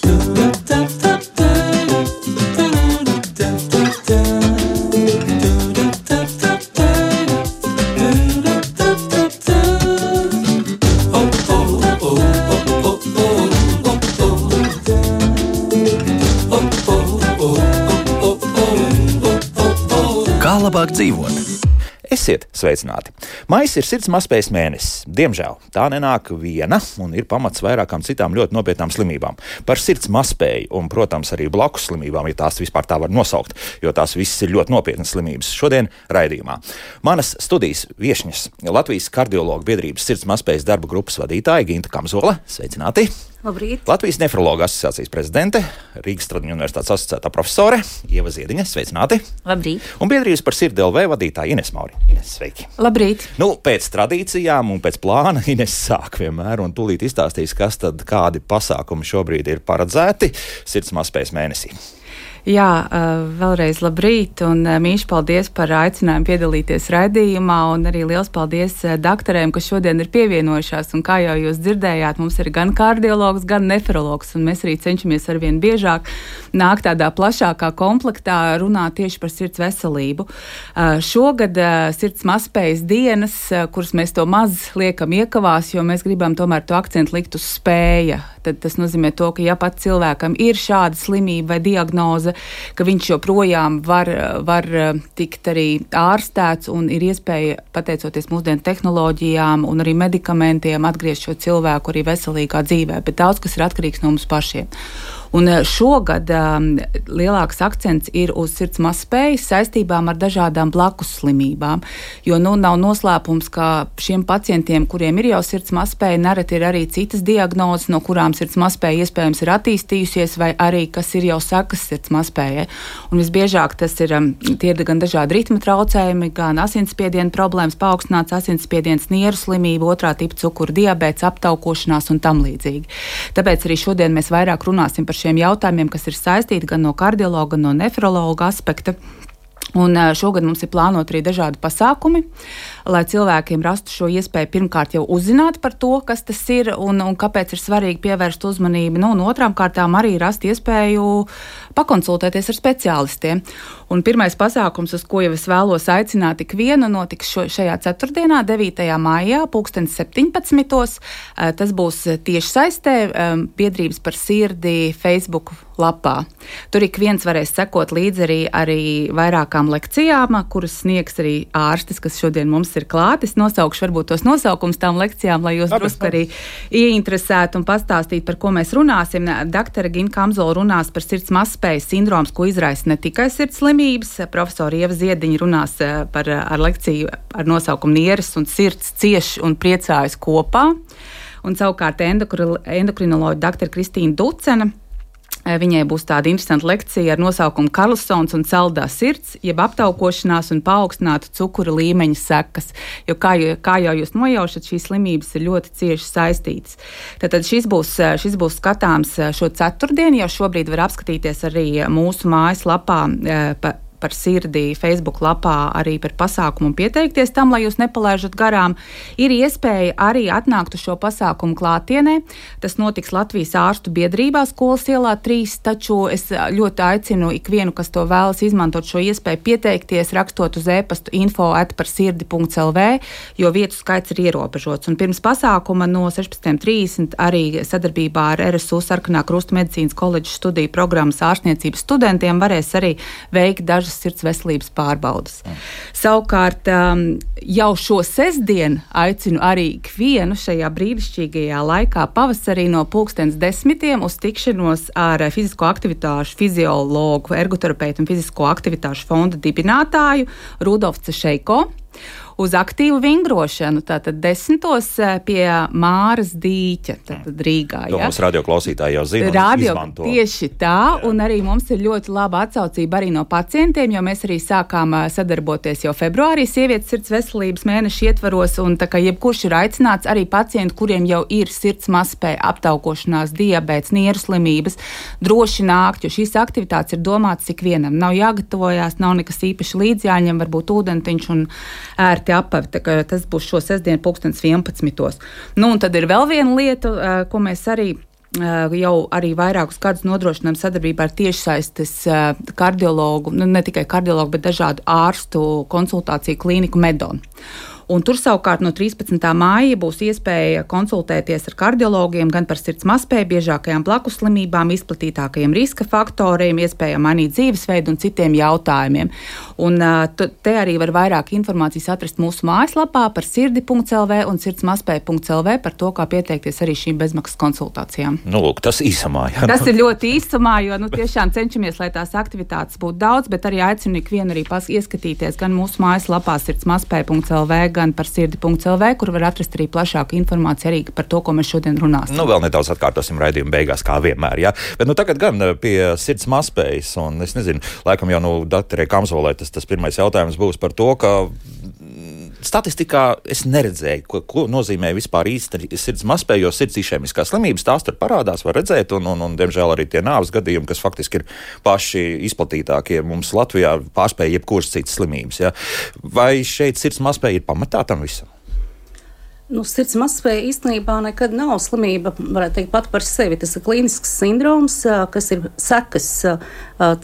Kā labāk dzīvot? Esiet sveicināti! Maijs ir sirds mazspējas mēnesis. Diemžēl tā nenāk viena un ir pamats vairākām citām ļoti nopietnām slimībām. Par sirds mazspēju un, protams, arī blakus slimībām, ja tās vispār tā var nosaukt, jo tās visas ir ļoti nopietnas slimības. Šodien raidījumā manas studijas viešņas Latvijas kardiologu biedrības sirds mazspējas darba grupas vadītāja Ginta Kamzola. Sveicināti! Labrīt. Latvijas nefrologa asociācijas prezidente, Rīgas Stradiņu universitātes asociētā profesore Ieva Ziediņa. Sveicināti! Labrīt. Un biedrības par sirdi LV vadītāja Ines Mauri. Ines, sveiki! Labrīt. Pēc tradīcijām un pēc plāna Ines sāk vienmēr un tūlīt izstāstīs, kādi pasākumi šobrīd ir paredzēti sirds mazspējas mēnesī. Jā, vēlreiz labrīt un mīļš paldies par aicinājumu piedalīties raidījumā un arī liels paldies daktarēm, kas šodien ir pievienojušās. Un kā jau jūs dzirdējāt, mums ir gan kardiologs, gan nefrologs, un mēs arī cenšamies arvien biežāk nākt tādā plašākā komplektā runāt tieši par sirds veselību. Šogad sirds mazspējas dienas, kuras mēs to maz liekam iekavās, jo mēs gribam tomēr to akcentu likt uz spēja. Tad tas nozīmē to, ka ja pat cilvēkam ir šāda slimība vai diagnoze, ka viņš joprojām var tikt arī ārstēts un ir iespēja, pateicoties mūsdienu tehnoloģijām un arī medikamentiem, atgriezt šo cilvēku arī veselīgā dzīvē, bet daudz kas ir atkarīgs no mums pašiem. Un šogad lielāks akcents ir uz sirds mazspējas saistībām ar dažādām blakus slimībām, jo nav noslēpums, ka šiem pacientiem, kuriem ir jau sirds mazspēja, nereti ir arī citas diagnozes, no kurām sirds mazspēja iespējams ir attīstījusies, vai arī kas ir jau sekas sirds mazspējai. Un visbiežāk tie ir gan dažādi ritma traucējumi, gan asinsspiediena problēmas, paaugstināts asinsspiediens, nieru slimība, otrā tipa cukura diabēts, aptaukošanās un tam līdzīgi. Tāpēc arī šodien mēs vairāk runāsim par šiem jautājumiem, kas ir saistīti gan no kardiologa, gan no nefrologa aspekta. Un šogad mums ir plānot arī dažādi pasākumi, lai cilvēkiem rastu šo iespēju pirmkārt jau uzzināt par to, kas tas ir un kāpēc ir svarīgi pievērst uzmanību. Un otrām kārtām arī rast iespēju pakonsultēties ar speciālistiem. Un pirmais pasākums, uz ko jau es vēlos aicināt ikvienu, notiks šajā ceturtdienā, 9. maijā, 17:00. Tas būs tieši saistē biedrības par sirdi Facebook lapā. Tur ik viens varēs sekot līdzi arī vairākām lekcijām, kuras sniegs arī ārstis, kas šodien mums ir klāt. Es nosaukšu varbūt tos nosaukums tām lekcijām, lai jūs drusku arī ieinteresētu un pastāstītu, par ko mēs runāsim. Daktare Ginta Kamzola runās par sirds mazspējas sindroms, ko izraisa ne tikai sirds slimības. Profesora Ieva Ziediņa runās ar lekciju ar nosaukumu Nieres un sirds cieš un priecājas kopā. Un savukārt endokrinoloģa daktare Kristīna Ducena. Viņai būs tāda interesanta lekcija ar nosaukumu Karlsons un saldā sirds, jeb aptaukošanās un paaugstinātu cukura līmeņa sekas. Jo kā jau jūs nojaušat, šīs slimības ir ļoti cieši saistītas. Tātad šis būs skatāms šo ceturtdienu, jau šobrīd var apskatīties arī mūsu mājaslapā par sirdi Facebook lapā arī par pasākumu un pieteikties tam, lai jūs nepalaižat garām. Ir iespēja arī atnākt uz šo pasākumu klātienē. Tas notiks Latvijas ārstu biedrībā Skolas ielā 3, taču es ļoti aicinu ikvienu, kas to vēlas izmantot šo iespēju pieteikties, rakstot uz e-pastu info@parsirdi.lv, jo vietu skaits ir ierobežots. Un pirms pasākuma no 16:30 arī sadarbībā ar RSU Sarkanā Krusta medicīnas koledžas studiju programmas ārstniecības studentiem varēs arī veikt dažas sirds veselības pārbaudas. Savukārt jau šo sestdienu aicinu arī ikvienu šajā brīnišķīgajā laikā pavasarī no 10:00 uz tikšanos ar fizisko aktivitāšu fiziologu, ergoterapeitu un fizisko aktivitāšu fonda dibinātāju Rudolfu Cešeiko. Uz aktīvu vingrošanu, tātad 10:00 pie Māras dīķa, tātad Rīgā. To mums radioklausītāji jau zina un izmanto. Tieši tā, un arī mums ir ļoti laba atsaucība arī no pacientiem, jo mēs arī sākām sadarboties jau februārī sievietes sirds veselības mēneša ietvaros, un tā kā jebkurš ir aicināts, arī pacienti, kuriem jau ir sirds mazspēja, aptaukošanās, diabēts, nieru slimības, droši nākt, jo šīs aktivitātes ir domātas ikvienam. Nav jāgatavojās, nav nekas īpaši līdz jāņem, varbūt ūdentiņš un ērti apavi. Tas būs šo sestdienu 11:00. Un tad ir vēl viena lieta, ko mēs arī jau arī vairākus gadus nodrošinām sadarbībā ar tiešsaistes kardiologu, ne tikai kardiologu, bet dažādu ārstu konsultāciju klīniku Medon. Un tur savukārt no 13. māja būs iespēja konsultēties ar kardiologiem gan par sirds mazspēju, biežākajām blakus slimībām, izplatītākajiem riska faktoriem, iespējām mainīt dzīvesveidu un citiem jautājumiem. Un te arī var vairāk informācijas atrast mūsu mājaslapā par sirdi.lv un sirdsmazspēja.lv par to, kā pieteikties arī šīm bezmaksas konsultācijām. Lūk, tas īsumā. Jā. Tas ir ļoti īsumā, jo tiešām cenšamies, lai tās aktivitātes būtu daudz, bet arī aicinu ikvienu arī ieskatīties gan mūsu mājaslapā sirdsmazspēja.lv, gan par sirdi.lv, kur var atrast arī plašāku informāciju arī par to, ko mēs šodien runāsim. Vēl nedaudz atkārtosim raidījumu beigās, kā vienmēr, jā. Bet tagad gan pie sirds mazspējas, un es nezinu, laikam jau doktorē Kamzolē tas pirmais jautājums būs par to, ka statistikā es neredzēju, ko nozīmē vispār īsti sirds mazspēja, jo sirds išēmiskās slimības tās tur parādās, var redzēt, un diemžēl arī tie nāves gadījumi, kas faktiski ir paši izplatītākie mums Latvijā, pārspēja jebkuras citas slimības. Ja? Vai šeit sirds mazspēja ir pamatā tam visam? Sirds mazspēja īstenībā nekad nav slimība, varētu teikt, pat par sevi. Tas ir klīnisks sindroms, kas ir sekas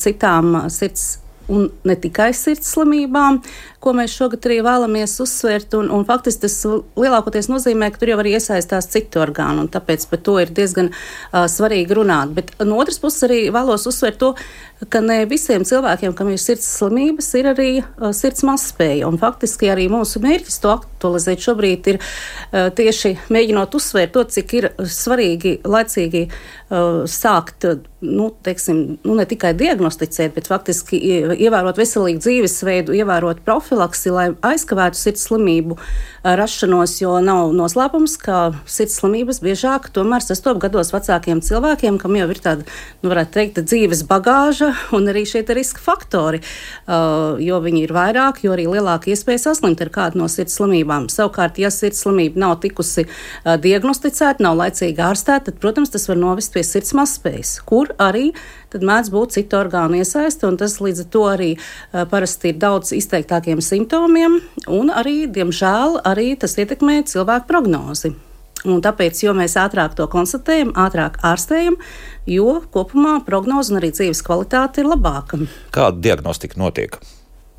citām sirds un ne tikai sirds slimībām, ko mēs šogad arī vēlamies uzsvērt, un faktiski tas lielākoties nozīmē, ka tur jau arī iesaistās citu orgānu, un tāpēc par to ir diezgan svarīgi runāt. Bet no otras puses arī vēlos uzsvērt to, ka ne visiem cilvēkiem, kam ir sirds slimības, ir arī sirds mazspēja, un faktiski arī mūsu mērķis to aktualizēt šobrīd ir tieši mēģinot uzsvērt to, cik ir svarīgi laicīgi sākt, ne tikai diagnosticēt, bet faktiski ievērot veselīgu dzīvesveidu, ievērot profilaksi, lai aizkavētu sirds slimību rašanos, jo nav noslēpums, ka sirds slimības biežāk tomēr sastop gados vecākiem cilvēkiem, kam jau ir tāda, varētu teikt, dzīves bagāža un arī šeit ir riska faktori, jo viņi ir vairāk, jo arī lielāka iespēja saslimt ar kādu no sirds slimībām. Savukārt, ja sirds slimība nav tikusi diagnosticēta, nav laicīgi ārstēta, tad, protams, tas var novest pie sirds mazspējas, kur arī tad mēdz būt citu orgānu iesaiste, un tas līdz ar to arī parasti ir daudz izteiktākiem simptomiem, un arī, diemžēl, arī tas ietekmē cilvēku prognozi. Un tāpēc, jo mēs ātrāk to konstatējam, ātrāk ārstējam, jo kopumā prognoze un arī dzīves kvalitāte ir labāka. Kāda diagnostika notiek?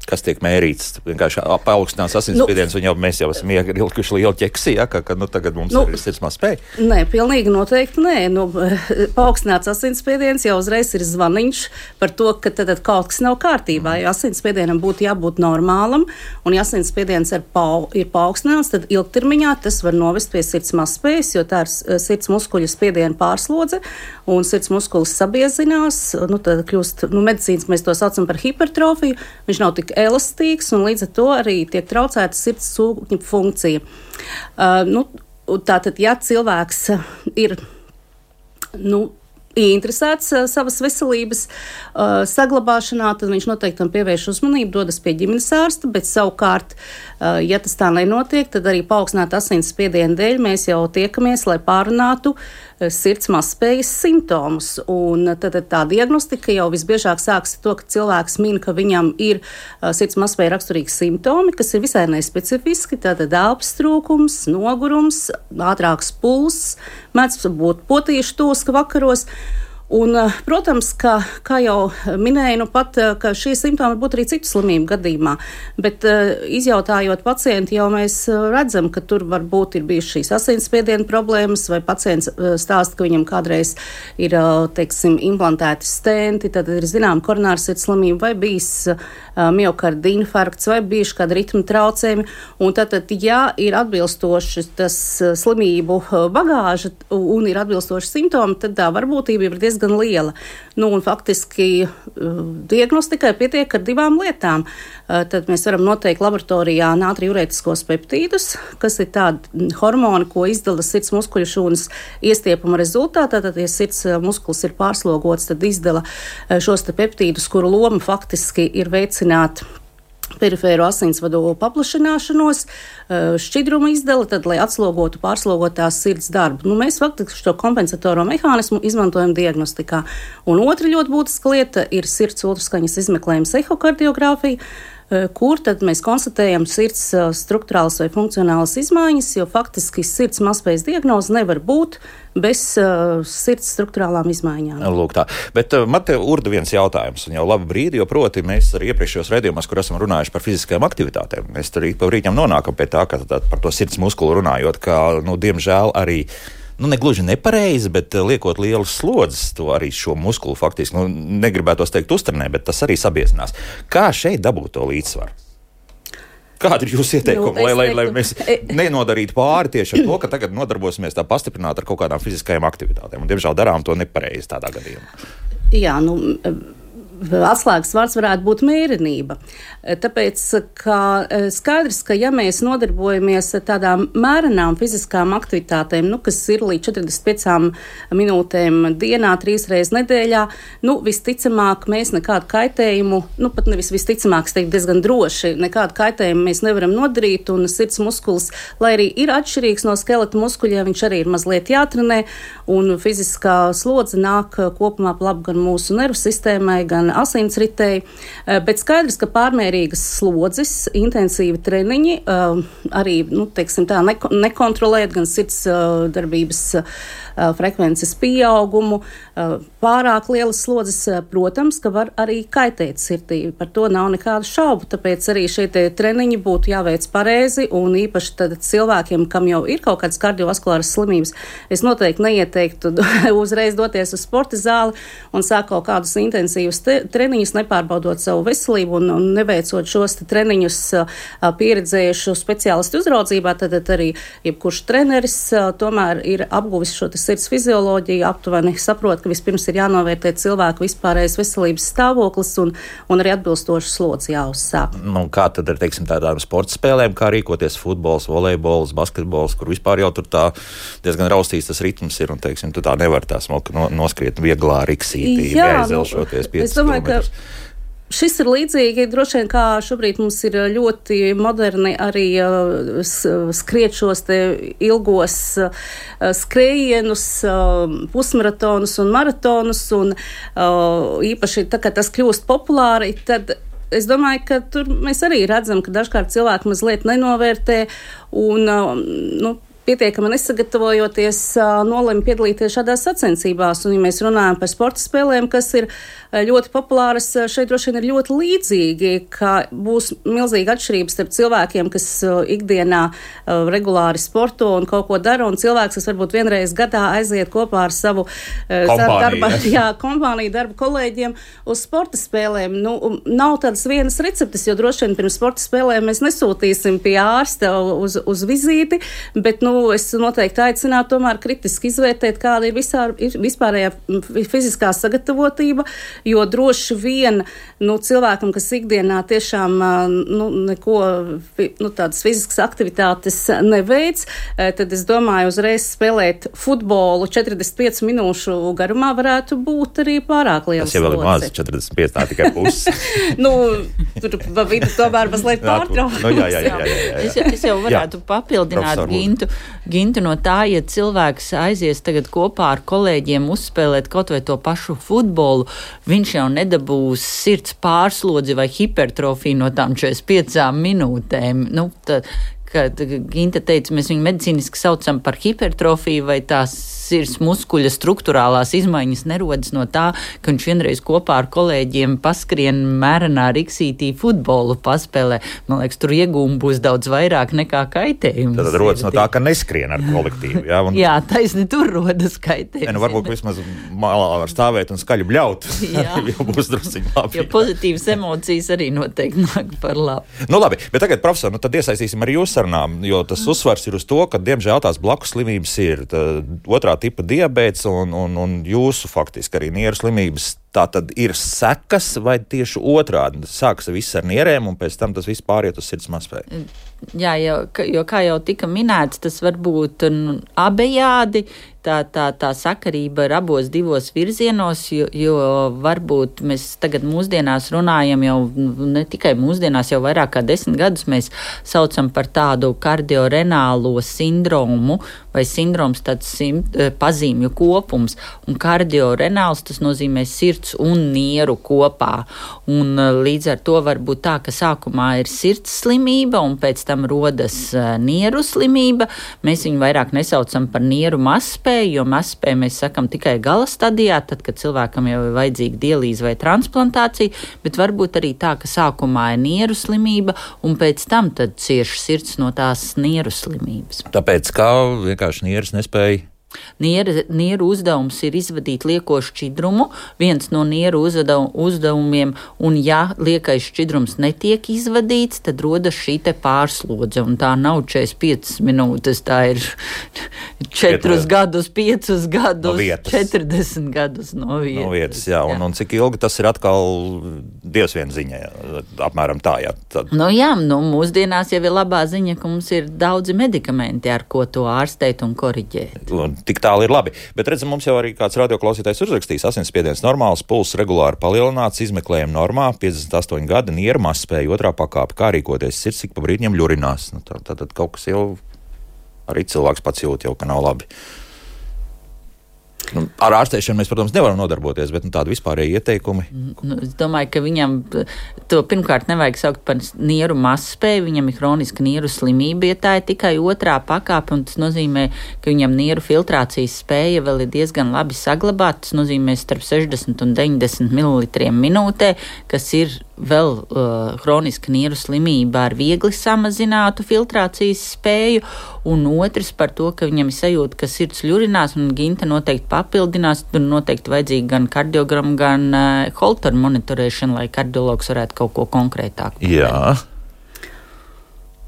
Kas tiek mērīts? Vienkārši paaugstinās asinsspiediens, un mēs jau esam ielikuši lielu ķeksi, ja, ka tagad mums ir sirds mazspēja? Nē, pilnīgi noteikti nē. Paaugstināts asinsspiediens jau uzreiz ir zvaniņš par to, ka tad kaut kas nav kārtībā. Ja asinsspiedienam būtu jābūt normālam, un ja asinsspiediens ir paaugstināts, tad ilgtermiņā tas var novest pie sirds mazspējas, jo tā ir sirds muskuļu spiediena pārslodze, un sirds muskulis sabiezinās, tad kļūst, medicīnas mēs to saucam par hipertrofiju, viņš nav tik elastīgs, un līdz ar to arī tiek traucēta sirds sūkņa funkcija. Tātad, ja cilvēks ir interesēts savas veselības saglabāšanā, tad viņš noteikti tam pievērš uzmanību, dodas pie ģimenes ārsta, bet savukārt, ja tas tā nenotiek, tad arī paaugstināta asinsspiediena dēļ mēs jau tiekamies, lai pārunātu sirds mazspējas simptomus. Un tad tā diagnostika jau visbiežāk sāks ar to, ka cilvēks min, ka viņam ir sirds mazspēja raksturīgi simptomi, kas ir visai nespecifiski, tātad elpas trūkums, nogurums, ātrāks pulss, mēdz būt potīšu tūska vakaros. Un, protams, kā jau minēju, ka šie simptomi var būt arī citu slimību gadījumā, bet izjautājot pacienti, jau mēs redzam, ka tur varbūt ir bijušas šīs asinsspiediena problēmas, vai pacients stāsta, ka viņam kādreiz ir, implantēti stenti, tad ir zinām koronāra sirds slimība, vai bijis miokarda infarkts, vai bijuši kādi ritmu traucējumi, un tad, ja ir atbilstoši tas slimību bagāža un ir atbilstoši simptomi, tad tā varbūtība ir diezgan liela. Un faktiski diagnostikai pietiek ar divām lietām. Tad mēs varam noteikt laboratorijā natriurētiskos peptīdus, kas ir tādi hormoni, ko izdala sirds muskuļu šūnas iestiepuma rezultātā. Tad, ja sirds muskulis ir pārslogots, tad izdala šos te peptīdus, kuru loma faktiski ir veicināt perifēro asinsvadu paplašināšanos, šķidrumu izdala, tad, lai atslogotu pārslogotās sirds darbu. Mēs faktiski šo kompensatoro mehānismu izmantojam diagnostikā. Un otra ļoti būtiska lieta ir sirds ultraskaņas izmeklējums ehokardiogrāfija, kur tad mēs konstatējam sirds strukturālas vai funkcionālas izmaiņas, jo faktiski sirds mazspējas diagnoze nevar būt bez sirds struktūrālām izmaiņām. Lūk tā. Bet man te urda viens jautājums, un jau labu brīdi, jo proti mēs arī iepriekšējos raidījumos, kur esam runājuši par fiziskajām aktivitātēm, mēs arī pa brīķam nonākam pie tā, ka par to sirds muskulu runājot, ka, diemžēl arī negluži nepareizi, bet liekot lielas slodzes, to arī šo muskulu faktiski, negribētos teikt uztrenē, bet tas arī sabiezinās. Kā šeit dabūt to līdzsvaru? Kādi ir jūsu ieteikumi, lai mēs nenodarītu pāri tieši ar to, ka tagad nodarbosimies tā pastiprināt ar kaut kādām fiziskajām aktivitātēm? Un, diemžēl, darām to nepareizi tādā gadījumā. Jā, atslēgas vārds varētu būt mērenība. Tāpēc, ka skaidrs, ka ja mēs nodarbojamies ar tādām mērenām fiziskām aktivitātēm, kas ir līdz 45 minūtēm dienā, 3 reizes nedēļā, visticamāk mēs nekādu kaitējumu, pat nevis visticamāk, es teiktu diezgan droši, nekādu kaitējumu mēs nevaram nodarīt, un sirds muskulis, lai arī ir atšķirīgs no skeleta muskuļiem, viņš arī ir mazliet jātrenē, un fiziskā slodze nāk kopumā pa labu gan mūsu nervu sistēmai, gan asinsritei, bet skaidrs, ka pārmērīgas slodzes, intensīvi treniņi, arī, tā nekontrolēt gan sirds darbības frekvences pieaugumu, pārāk lielas slodzes, protams, ka var arī kaitēt sirdī. Par to nav nekādu šaubu, tāpēc arī šie treniņi būtu jāveic pareizi, un īpaši tad cilvēkiem, kam jau ir kaut kādas kardiovaskulāras slimības, es noteikti neieteiktu uzreiz doties uz sporta zāli un sākt kaut kādus intensīvus treniņus, nepārbaudot savu veselību un neveicot šos treniņus pieredzējušu speciālistu uzraudzībā, tad arī jebkurš treneris tomēr ir apguvis šo sirds fizioloģiju, aptuveni saprot, ka vispirms ir jānovērtē cilvēku vispārējais veselības stāvoklis un arī atbilstoši slodzi jāuzsāk. Kā tad ar, tādām sporta spēlēm, kā rīkoties futbols, volejbols, basketbols, kur vispār jau tur tā diezgan raustīts tas ritms ir, un, tu tā nevar tā smalki noskriet vieglā riksītī, neaizzelšoties 5 kilometrus. Šis ir līdzīgi, droši vien, kā šobrīd mums ir ļoti moderni arī skriet šos te ilgos skrējienus, pusmaratonus un maratonus, un īpaši tā, ka tas kļūst populāri, tad es domāju, ka tur mēs arī redzam, ka dažkārt cilvēki mazliet nenovērtē un, pietiekami nesagatavojoties, nolēma piedalīties šādās sacensībās. Un, ja mēs runājam par sporta spēlēm, kas ir ļoti populāras, šeit droši vien ir ļoti līdzīgi, ka būs milzīga atšķirības starp cilvēkiem, kas ikdienā regulāri sporto un kaut ko dara, un cilvēks, kas varbūt vienreiz gadā aiziet kopā ar savu kompāniju darba kolēģiem uz sporta spēlēm. Nav tādas vienas receptes, jo droši vien pirms sporta spēlēm mēs nesūtīsim pie ārsta uz vizīti, bet, es noteikti aicinātu tomēr kritiski izvērtēt, kāda ir vispārējā fiziskā sagatavotība, jo droši vien cilvēkam, kas ikdienā tiešām neko tādas fiziskas aktivitātes neveic, tad es domāju, uzreiz spēlēt futbolu 45 minūšu garumā varētu būt arī pārāk liels. Tas jau vēl ir maz, 45, tā tikai puses. Tur pa vidu tomēr mazliet pārtraukt. Es jau varētu papildināt Gintu no tā, ja cilvēks aizies tagad kopā ar kolēģiem uzspēlēt kaut vai to pašu futbolu, viņš jau nedabūs sirds pārslodzi vai hipertrofiju no tām 45 minūtēm. Kad Ginta teica, mēs viņu medicīniski saucam par hipertrofiju, vai tās sirds muskuļa struktūrālās izmaiņas nerodas no tā, ka viņš vienreiz kopā ar kolēģiem paskrien mērenā riksītī futbolu paspēlē. Man liekas, tur iegūmi būs daudz vairāk nekā kaitējums. Tad rodas no tā, ka neskrien ar kolektīvu. Jā, taisni tur rodas kaitējums. Varbūt vismaz malā var stāvēt un skaļi bļaut. Jau būs drusciņi labi. Jo pozitīvas emocijas arī noteikti nāk par labu. Labi, bet tagad, profesor, tad iesaistīsim arī jūs sarunām, jo tas uzsvars ir uz to, ka, diemžēl, tās blakus slimības ir otrā tipa diabēts un jūsu faktiski arī nieru slimības. Tā tad ir sekas vai tieši otrādi? Sākas viss ar nierēm un pēc tam tas viss pāriet uz sirds mazspēju. Jā, jo kā jau tika minēts, tas var būt abejādi. Tā sakarība ir abos divos virzienos, jo varbūt mēs tagad mūsdienās runājam jau ne tikai mūsdienās, jau vairāk kā 10 gadus mēs saucam par tādu kardiorenālo sindromu vai vai sindroms tāds pazīmju kopums, un kardiorenāls tas nozīmē sirds un nieru kopā. Un līdz ar to var būt tā, ka sākumā ir sirds slimība, un pēc tam rodas nieru slimība. Mēs viņu vairāk nesaucam par nieru mazspēju, jo mazspēju mēs sakam tikai gala stadijā, tad, kad cilvēkam jau ir vajadzīga dialīze vai transplantācija, bet varbūt arī tā, ka sākumā ir nieru slimība, un pēc tam tad cieši sirds no tās nieru slimības. Tāpēc, kā vienkārši nieras nespēja? Nieru uzdevums ir izvadīt lieko šķidrumu, viens no nieru uzdevumiem, un ja liekais šķidrums netiek izvadīts, tad rodas šī te pārslodze, un tā nav 45 minūtes, tā ir 4 gadus, 5 gadus, no 40 gadus no vietas. Jā, un cik ilgi tas ir atkal Dievs vien ziņā, apmēram tā, jā. Tad... Mūsdienās jau ir labā ziņa, ka mums ir daudzi medikamenti, ar ko to ārstēt un koriģēt. Tik tālu ir labi. Bet redzam, mums jau arī kāds radioklausītājs uzrakstījis, asinsspiediens normāls, pulss regulāri palielināts, izmeklējumi normā, 58 gadi, nieru mazspēja, 2. pakāpe, kā rīkoties, sirds ik pa brīdņiem ļurinās. Tad kaut kas jau arī cilvēks pats jūt jau, ka nav labi. Ar ārstēšanu mēs, protams, nevaram nodarboties, bet tādi vispārēji ieteikumi. Es domāju, ka viņam to pirmkārt nevajag saukt par nieru mazspēju, viņam ir hroniska nieru slimība, ja tā ir tikai 2. pakāpe, un tas nozīmē, ka viņam nieru filtrācijas spēja vēl ir diezgan labi saglabāta, tas nozīmē starp 60 un 90 ml minūtē, kas ir vēl hroniska nieru slimība ar viegli samazinātu filtrācijas spēju, un otrs par to, ka viņam ir sajūta, ka sirds ļurinās, un Ginta noteikti papildinās, tur noteikti vajadzīga gan kardiogramu, gan Holteru monitorēšana, lai kardiologs varētu kaut ko konkrētāk pateikt. Jā.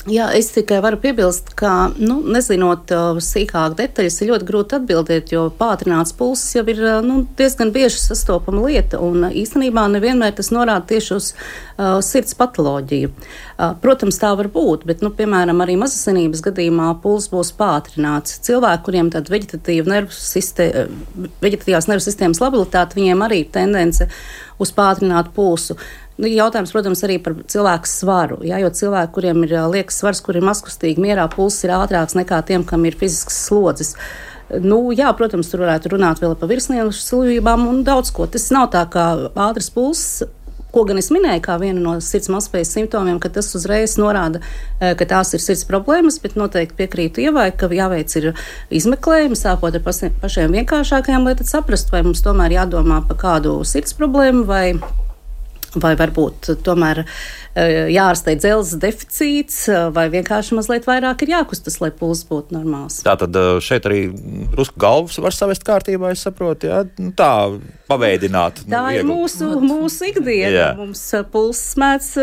Jā, es tikai varu piebilst, ka, nezinot sīkāk detaļas, ir ļoti grūti atbildēt, jo pātrināts pulss jau ir diezgan bieži sastopama lieta, un īstenībā nevienmēr tas norāda tieši uz sirds patoloģiju. Protams, tā var būt, bet, piemēram, arī mazasinības gadījumā pulss būs pātrināts. Cilvēki, kuriem tad veģetatīvās nervu sistēmas labilitāte, viņiem arī ir tendence uz pātrinātu pulsu. Jautājums, protams, arī par cilvēku svaru, jo cilvēki, kuriem ir liekas svars, kur ir mazkustīgi, mierā pulss ir ātrāks nekā tiem, kam ir fiziskas slodzes. Protams, tur varētu runāt vēl par virsnieku slimībām un daudz ko. Tas nav tā kā ātrs pulss, ko gan es minēju kā vienu no sirds mazspējas simptomiem, ka tas uzreiz norāda, ka tās ir sirds problēmas, bet noteikti piekrītu Ievai, ka jāveic ir izmeklējumi, sākot ar pašiem vienkāršākajiem, lai tad saprastu, vai mums tomēr jādomā par kādu sirds problēmu, vai varbūt tomēr jārastē dzelzs deficīts, vai vienkārši mazliet vairāk ir jākustas, lai pulss būtu normāls. Tātad šeit arī drusku galvas var savest kārtībā, es saprotu, jā? Tā paveidināt. Tā ir mūsu ikdiena. Jā. Mums pulss mēdz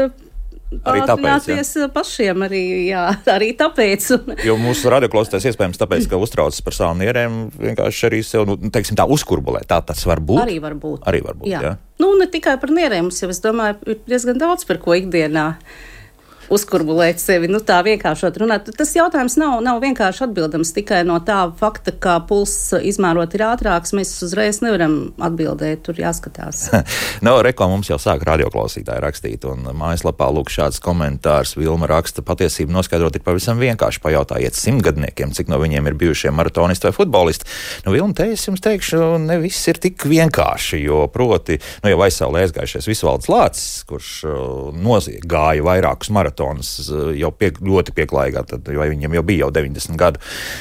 pātrināties pašiem arī tāpēc. Jo mūsu radioklausītājs iespējams tāpēc, ka uztraucas par savām nierēm, vienkārši arī sev, teiksim tā, uzkurbulē. Tā tas var būt? Arī var būt. Jā. Ne tikai par nierēm, mums jau, es domāju, ir diezgan daudz par ko ikdienā uzkurbulēt sevi, tā vienkāršot runāt. Tas jautājums nav vienkārši atbildams tikai no tā fakta, ka pulss izmērot ir ātrāks, mēs uzreiz nevaram atbildēt, tur jāskatās. Reko mums jau sāk radioklausītāji rakstīt, un mājaslapā lūk šāds komentārs. Vilma raksta, patiesību noskaidrot ir pavisam vienkārši. Pajautājiet 100-gadniekiem, cik no viņiem ir bijušie maratonisti vai futbolisti. Vilma, te es jums teikšu, ne viss ir tik vienkārši, jo proti, jau aizsaulē aizgājušies Visvalds Lācis, kurš gāja vairākus maratonis jau ļoti pieklājīgā, jo viņam jau bija jau 90 gadu,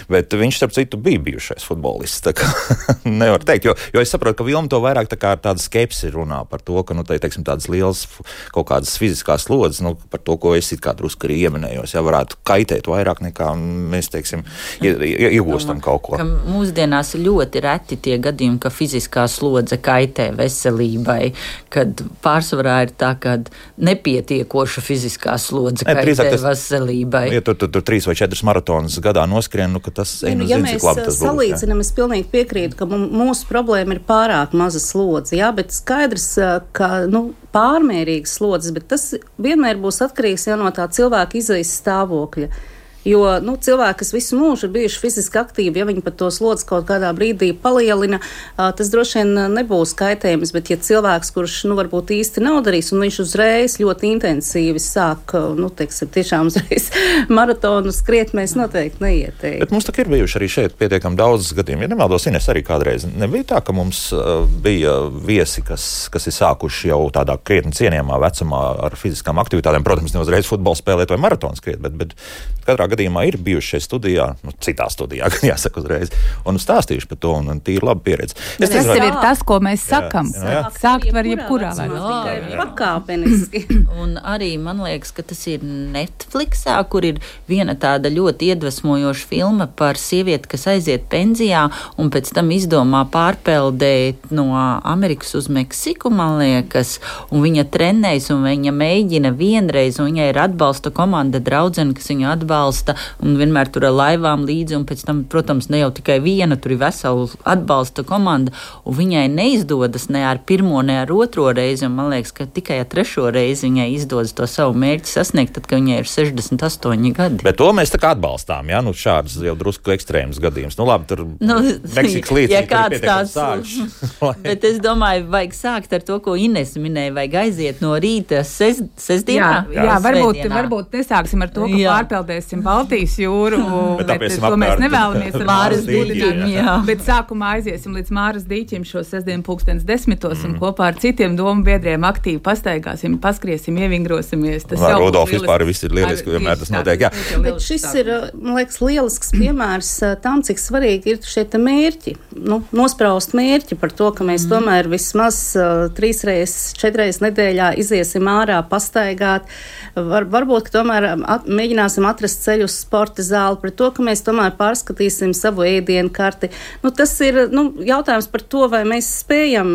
bet viņš, starp citu, bija bijušais futbolists, tā kā nevar teikt, jo es saprotu, ka Vilma to vairāk tā kā tāda skepsi runā par to, ka, teiksim, tādas lielas kaut kādas fiziskās slodzes, par to, ko es it kā drusku arī ieminējos, varētu kaitēt vairāk nekā mēs, teiksim, iegūstam kaut ko. Mūsdienās ļoti reti tie gadījumi, ka fiziskā slodze kaitē veselībai, kad pārsvarā ir tā, ka nepietiekoša fiziskā slodze kaitē veselībai. Ja tur 3 vai 4 maratonus gadā noskrien, ka tas cik labi tas būs. Ja mēs salīdzinām, es pilnīgi piekrītu, ka mūsu problēma ir pārāk maza slodze, bet skaidrs, ka pārmērīgas slodzes, bet tas vienmēr būs atkarīgs no tā cilvēka izējas stāvokļa. Jo, cilvēki, kas visu mūžu ir bijuši fiziski aktīvi, ja viņi pat to slodzi kaut kādā brīdī palielina, tas droši vien nebūs kaitējums, bet ja cilvēks, kurš, varbūt īsti nav darījis, un viņš uzreiz ļoti intensīvi sāk, teiksim, tiešām uzreiz maratonu skriet, mēs noteikti neieteiktu. Bet mums tā ir bijuši arī šeit pietiekami daudz gadījumu. Ja nemaldos, Ines, arī kādreiz nebija tā, ka mums bija viesi, kas ir sākuši jau tādā krietni cienījamā vecumā ar fiziskām aktivitātēm. Protams, ne uzreiz futbolu spēlēt vai maratonu skriet, bet katrā gadījumā ir bijuši šeit studijā, citā studijā, gan jāsaka uzreiz, un stāstījuši par to, un tī ir laba pieredze. Tas jau ir tas, ko mēs sakam. Sākt var jebkurā vecumā. Pakāpeniski. Un arī man liekas, ka tas ir Netflixā, kur ir viena tāda ļoti iedvesmojoša filma par sievieti, kas aiziet pensijā un pēc tam izdomā pārpeldēt no Amerikas uz Meksiku, man liekas, un viņa trenējas un viņa mēģina vienreiz, un viņai ir atbalsta komanda draudzene, kas viņu atbalsta un vienmēr tur ar laivām līdzi, un pēc tam, protams, ne jau tikai viena, tur ir vesela atbalsta komanda, un viņai neizdodas ne ar pirmo, ne ar otro reizi, un man liekas, ka tikai ar trešo reizi viņai izdodas to savu mērķi sasniegt, tad, kad viņai ir 68 gadi. Bet to mēs tā kā atbalstām, ja? Šāds jau drusku ekstrēms gadījums. Labi, tur Meksikas līdzi, ja kāds tāds bet es domāju, vajag sākt ar to, ko Ines minēja, vajag aiziet no rīta sestdienā. Jā, varbūt nesāksim ar to, ka pārpeldēsim Baltijas jūru, bet to mēs nevēlamies ar Māras dīķim. Bet sākumā aiziesim līdz Māras dīķim šo sestdienu 10:00 un kopā ar citiem domu biedriem aktīvi pastaigāsim, paskriesim, ievingrosimies. Rudolf, vispār viss ir lieliski, vienmēr tas notiek. Jā. Bet šis ir, man liekas, lielisks piemērs tam, cik svarīgi ir šie mērķi. Nospraust mērķi par to, ka mēs tomēr vismaz 3-4 reizes nedēļā iziesim ārā, pastaigāt. Varbūt, ka tomēr mēģināsim atrast ceļu uz sporta zāli, par to, ka mēs tomēr pārskatīsim savu ēdienu karti. Tas ir jautājums par to, vai mēs spējam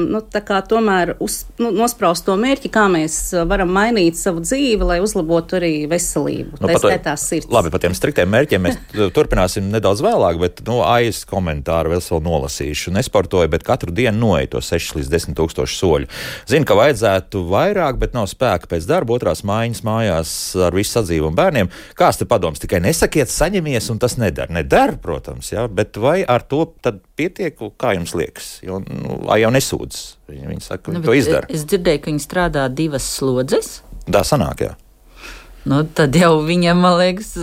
tomēr nospraust to mērķi, kā mēs varam mainīt savu dzīvi, lai uzlabotu arī veselību. Tā skaitā sirds. Labi, par tiem striktiem mērķiem mēs turpināsim nedaudz vēlāk, bet aiz komentāru vēl nolasīšu. Nesportoju, bet katru dienu noeju to 6 līdz 10 tūkstošu soļu. Zinu, ka vajadzētu vairāk, bet nav spēka pēc darba, otrās mājiņas mājās ar visu sadzīvu un bērniem. Kāds te padoms? Tikai nesakiet, saņemies, un tas nedara. Nedara, protams, jā, bet vai ar to tad pietiek, kā jums liekas? Jo, jau nesūdz. Viņi saka, viņi to izdara. Es dzirdēju, ka viņi strādā 2 slodzes. Tā sanāk, jā. Tad jau viņam, man liekas,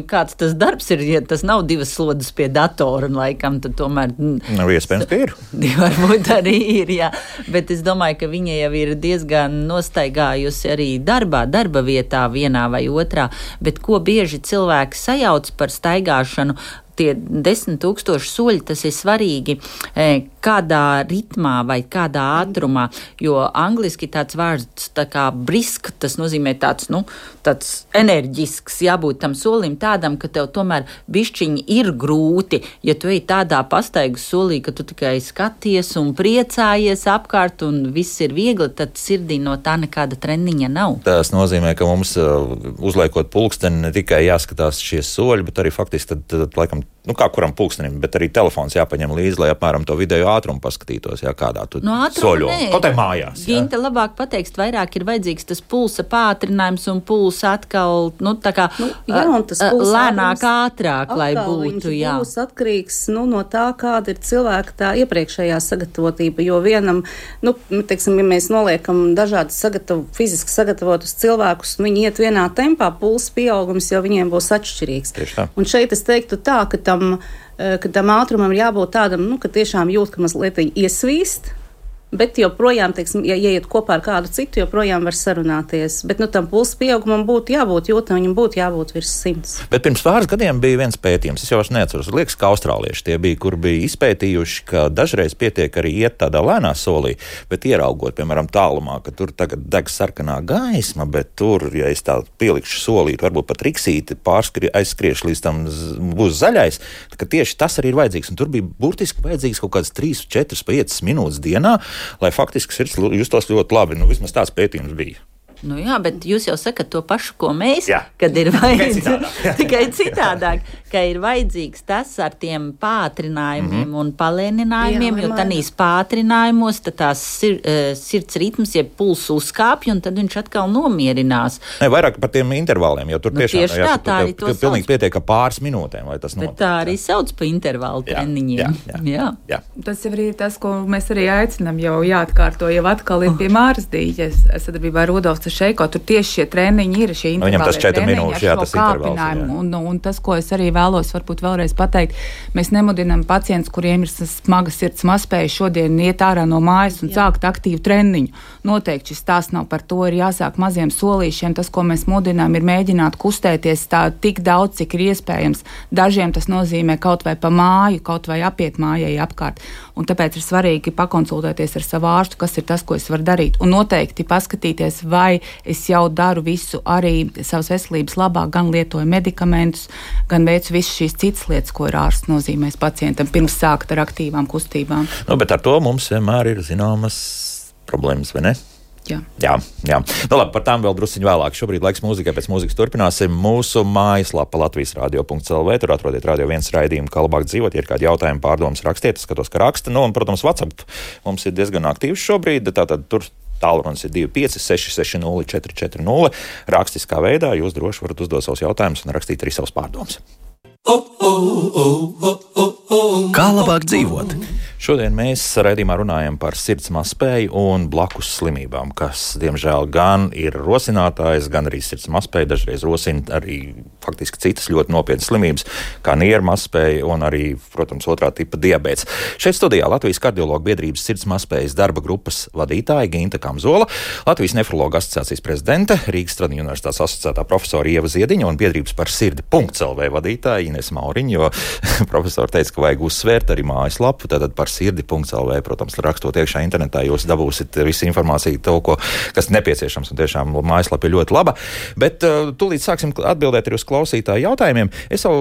kāds tas darbs ir, ja tas nav 2 slodzes pie datora, un laikam tad tomēr... Nav iespējams, ka ir. Varbūt arī ir, jā. Bet es domāju, ka viņa jau ir diezgan nostaigājusi arī darba vietā vienā vai otrā, bet ko bieži cilvēki sajauc par staigāšanu, tie 10 000 soļi, tas ir svarīgi, kādā ritmā vai kādā ātrumā, jo angliski tāds vārds tā kā brisk, tas nozīmē tāds enerģisks, jābūt tam solim tādam, ka tev tomēr bišķiņi ir grūti, ja tu ej tādā pastaigas solī, ka tu tikai skaties un priecājies apkārt un viss ir viegli, tad sirdī no tā nekāda treniņa nav. Tas nozīmē, ka mums uzliekot pulksteni ne tikai jāskatās šie soļi, bet arī faktiski tad laikam kā kuram pulkstenim, bet arī telefons jāpaņem līdzi, lai apmēram to video ātrumu paskatītos, kādā tu soļo. Kaut tai mājās. Ginta labāk pateiks, vairāk ir vajadzīgs tas pulsa pātrinājums un pulsa atkal, lēnāk, ātrāk, lai būtu, jā. Būs atkarīgs, no tā, kāda ir cilvēka tā iepriekšējā sagatavotība, jo vienam, teiksim, ja mēs noliekam dažādas fiziski sagatavotus cilvēkus, viņi iet vienā tempā, pulsa pieaugums jau viņiem būs atšķirīgs. Un šeit es teiktu tā, ka tam ātrumam ir jābūt tādam, ka tiešām jūt, ka mazliet iesvīst, bet joprojām, teiksim, ja iet kopā ar kādu citu, joprojām var sarunāties. Bet tam pulsa pieaugumam būtu jābūt jūtam, viņam būtu jābūt virs 100. Bet pirms pāris gadiem bija viens pētījums, es jau neatceros, liekas, ka austrālieši tie bija, kur bija izpētījuši, ka dažreiz pietiek arī iet tādā lēnā solī, bet ieraugot, piemēram, tālumā, ka tur tagad deg sarkanā gaisma, bet tur, ja es tā pielikšu solīt, varbūt pat riksīti aizskriešu līdz tam būs zaļais, ka tieši tas arī ir vajadzīgs. Un tur bija burtiski vajadzīgs kaut kādas 3, 4, 5 minūtes dienā, lai faktiski sirds justos ļoti labi. Vismaz tāds pētījums bija. Nu jā, bet jūs jau sakat to pašu, ko mēs, jā. Kad ir vajadzīgs. Tikai citādāk, ka ir vajadzīgs tas ar tiem pātrinājumiem un palēninājumiem, jo tanīs pātrinājumos tās sirds ritms, ja puls uzkāpj, un tad viņš atkal nomierinās. Ne, vairāk par tiem intervāliem, jo tur tiešām tā arī to pilnīgi pietiek ar pāris minūtēm, lai tas notiek. Bet tā arī sauc pa intervālu treniņiem. Jā. Tas jau ir tas, ko mēs arī aicinām, jau jāatkārto, jau atkal ir pie Mārsdīģes sadarbībā ar Rudolfu Šeiko, tur tieši šie treniņi ir, šie intervālie treniņi ar šo kāpinājumu. Un tas, ko es arī vēlos varbūt vēlreiz pateikt, mēs nemudinām pacientus, kuriem ir smaga sirds mazspēja šodien iet ārā no mājas un sākt aktīvu treniņu. Noteikti šis stāsts nav par to, ir jāsāk maziem solīšiem. Tas, ko mēs mudinām, ir mēģināt kustēties tā tik daudz, cik ir iespējams. Dažiem tas nozīmē kaut vai pa māju, kaut vai apiet mājai apkārt. Un tāpēc ir svarīgi pakonsultēties ar savu ārstu, kas ir tas, ko es varu darīt. Un noteikti paskatīties, vai es jau daru visu arī savas veselības labā, gan lietoju medikamentus, gan veicu visas šīs citas lietas, ko ir ārsts nozīmēs pacientam, pirms sākt ar aktīvām kustībām. Bet ar to mums vienmēr ir zināmas problēmas, vai ne? Jā. Nu labi, par tām vēl drusciņu vēlāk. Šobrīd laiks mūzikai, pēc mūzikas turpināsim mūsu mājaslapa latvijasradio.lv. Tur atrodiet Radio 1 raidījumu, kā labāk dzīvot. Ja ir kādi jautājumi, pārdomas, rakstiet, skatos, ka raksta. Nu, un, protams, WhatsApp mums ir diezgan aktīvs šobrīd. Tātad tur tālrunis ir 25 660 440. Rakstiskā veidā jūs droši varat uzdot savus jautājumus un rakstīt arī savus pārdomas. Kā labāk dzīvot? Šodien mēs raidījumā runājam par sirds mazspēju un blakus slimībām, kas, diemžēl, gan ir rosinātājs, gan arī sirds mazspēja. Dažreiz rosina arī faktiski citas ļoti nopietnas slimības, kā nieru mazspēja un arī, protams, otrā tipa diabēts. Šeit studijā Latvijas kardiologu biedrības sirds mazspējas darba grupas vadītāja Ginta Kamzola, Latvijas nefrologu asociācijas prezidente, Rīgas Stradiņu universitātes asociētā profesora Ieva Ziediņa un biedrības par sirdi.lv vadītāja Ines Mauriņa, jo profesori teica, ka vajag uzsvērt arī mājaslapu, tātad par sirdi.lv, protams, rakstot iekšā internetā, jūs dabūsiet visu informāciju, to, kas nepieciešams, un tiešām mājaslapa ir ļoti laba. Bet tūlīt sāksim atbildēt arī uz klausītāju jautājumiem. Es jau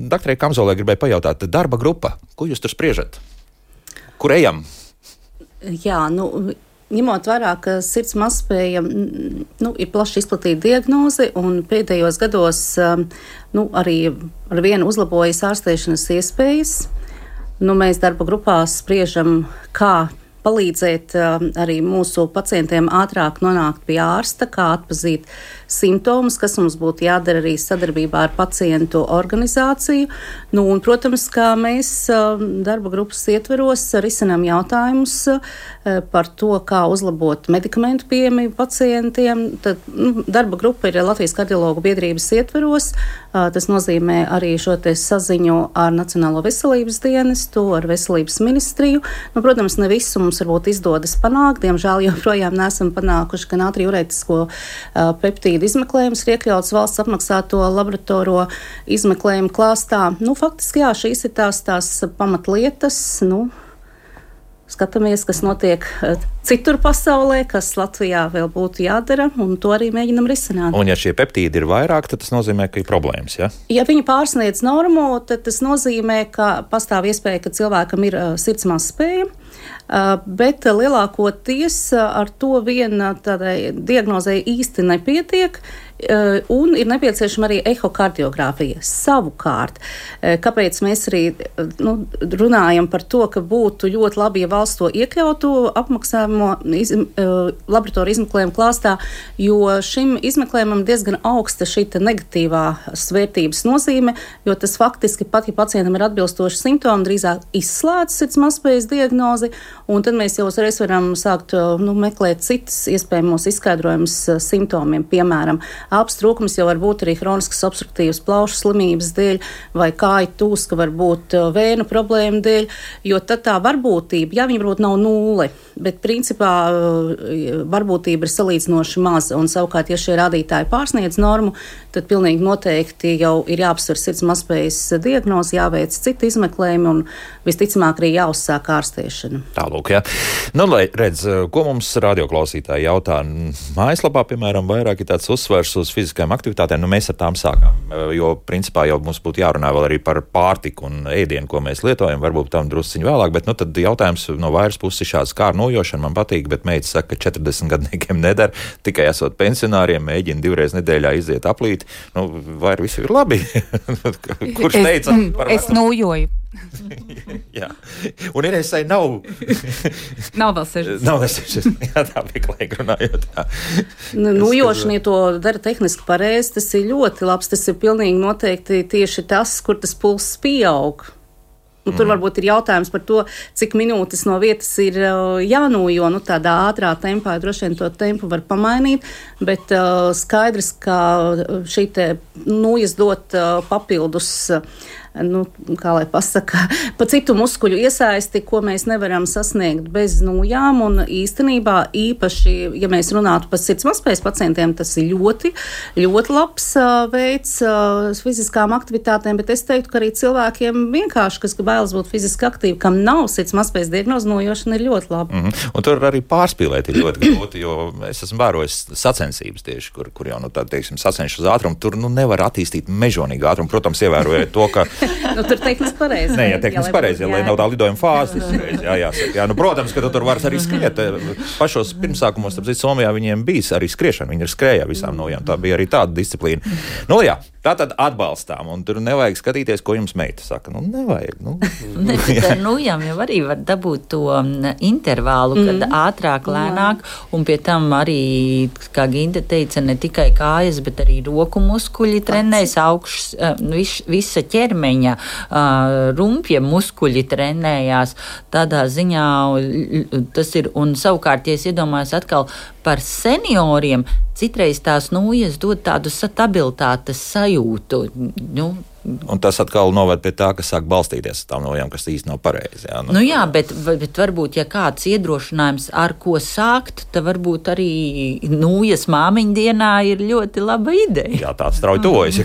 doktorai Kamzolai gribēju pajautāt, darba grupa, ko jūs tur spriežat? Kur ejam? Jā, ņemot vērā, ka sirds mazspēja ir plaši izplatīta diagnoze, un pēdējos gados arī ar vienu uzlabojas ārstēšanas iespējas. Mēs darba grupās spriežam, kā palīdzēt arī mūsu pacientiem ātrāk nonākt pie ārsta, kā atpazīt simptomus, kas mums būtu jādara arī sadarbībā ar pacientu organizāciju. Un, protams, kā mēs darba grupas ietveros risinām jautājumus par to, kā uzlabot medikamentu pieejamību pacientiem. Tad, darba grupa ir Latvijas kardiologu biedrības ietveros. Tas nozīmē arī šo te saziņu ar Nacionālo veselības dienestu, ar veselības ministriju. Protams, ne visu mums varbūt izdodas panākt. Diemžēl joprojām neesam panākuši gan ātriurētisko peptīdu izmeklējums ir iekļauts valsts apmaksāto laboratoriju izmeklējumu klāstā. Faktiski, jā, šīs ir tās pamatlietas. Skatāmies, kas notiek citur pasaulē, kas Latvijā vēl būtu jādara, un to arī mēģinam risināt. Un ja šie peptīdi ir vairāk, tad tas nozīmē, ka ir problēmas, ja? Ja viņi pārsniedz normu, tad tas nozīmē, ka pastāv iespēja, ka cilvēkam ir sirds mazspēja, bet lielākoties ar to vien tādai diagnozei īsti nepietiek, un ir nepieciešama arī ehokardiogrāfija. Savukārt, kāpēc mēs arī runājam par to, ka būtu ļoti labi, ja valsts to iekļautu apmaksājumu laboratoriju izmeklējumu klāstā, jo šim izmeklējumam diezgan augsta šī negatīvā svērtības nozīme, jo tas faktiski pat, ja pacientam ir atbilstoši simptomi, drīzāk izslēdz sirds mazspējas diagnozi, un tad mēs jau uzreiz varam sākt meklēt citas iespējamos izskaidrojumus simptomiem, piemēram, elpas trūkums jau var būt arī hroniskas obstruktīvas plaušu slimības dēļ vai kāju tūska var būt vēnu problēmu dēļ, jo tad tā varbūtība, ja viņa varbūt nav nulle, bet principā varbūtība ir salīdzinoši maza, un savukārt, ja šie rādītāji pārsniedz normu, tad pilnīgi noteikti jau ir jāapsver sirds mazspējas diagnozi, jāveic citi izmeklējumi un visticamāk arī jāuzsāk ārstēšana. Tālāk. lūk, jā. Nu, lai redz, ko mums radioklausītāji jautā. Mājaslapā, piemēram, vairāk ir tāds uzsvers uz fiziskajām aktivitātēm. Nu, mēs ar tām sākām, jo principā jau mums būtu jārunā vēl arī par pārtiku un ēdienu, ko mēs lietojam. Varbūt tam drusciņu vēlāk, bet nu, tad jautājums no vairs puses šāds kā ar nojošanu man patīk, bet meita saka, ka 40 gadniekiem nedara, tikai esot pensionāriem, mēģina 2 reizes nedēļā iziet aplīt. Nu, vai viss ir labi? Kurš teica? Es nojoju. Jā, un Inesai nav. Nav vēl 60. Nav vēl 60. Jā, tā vieglīgi runājot. Nojošanie to dara tehniski pareizi, tas ir ļoti labs, tas ir pilnīgi noteikti tieši tas, kur tas pulss pieaug. Tur varbūt ir jautājums par to, cik minūtes no vietas ir jānojo. Tādā ātrā tempā droši vien to tempu var pamainīt, bet skaidrs, ka šī te nojas dot papildus, kā lai pasaka, pa citu muskuļu iesaisti, ko mēs nevaram sasniegt bez nojām. Un īstenībā īpaši, ja mēs runātu par sirds mazspējas pacientiem, tas ir ļoti, ļoti labs veids fiziskām aktivitātēm, bet es teiktu, ka arī cilvēkiem vienkārši, kas bailes būt fiziski aktīvi, kam nav sirds mazspējas diagnoze, nojošana ir ļoti laba. Un tur arī pārspīlēt ir ļoti grūti, jo es esmu vērojis sacensības tieši, kur jau, teiksim, sacenšu uz ātrumu, tur nevar attīstīt mežonīgu ātrumu. Protams, ievērojot to, ka tur tehniski pareizi. Nē, ja tehniski pareizi, lai nav tā lidojuma fāze. Jā, protams, ka tur var arī skriet. Pašos pirmsākumos, starp citu, Somijā viņiem bija arī skriešana. Viņi ir skrējā visām nojām. Tā bija arī tāda disciplīna. Nu jā, tā tad atbalstām. Un tur nevajag skatīties, ko jums meita saka. Nevajag. Ar nojām jau arī var dabūt to intervālu, kad ātrāk, lēnāk. Un pie tam arī, kā Ginta teica, ne tikai kājas, bet arī roku muskuļi trenējas, visa ķermeņa rumpja muskuļi trenējās. Tādā ziņā tas ir, un savukārt, ja es iedomājos atkal par senioriem, citreiz tās nojas dod tādu stabilitātes sajūtu. Un tas atkal noved pie tā, ka sāk balstīties uz tām nojām, kas īsti nav pareizi. Jā, bet varbūt, ja kāds iedrošinājums, ar ko sākt, tad varbūt arī nojas māmiņu dienā ir ļoti laba ideja. Jā, tāds strauji tuvojas.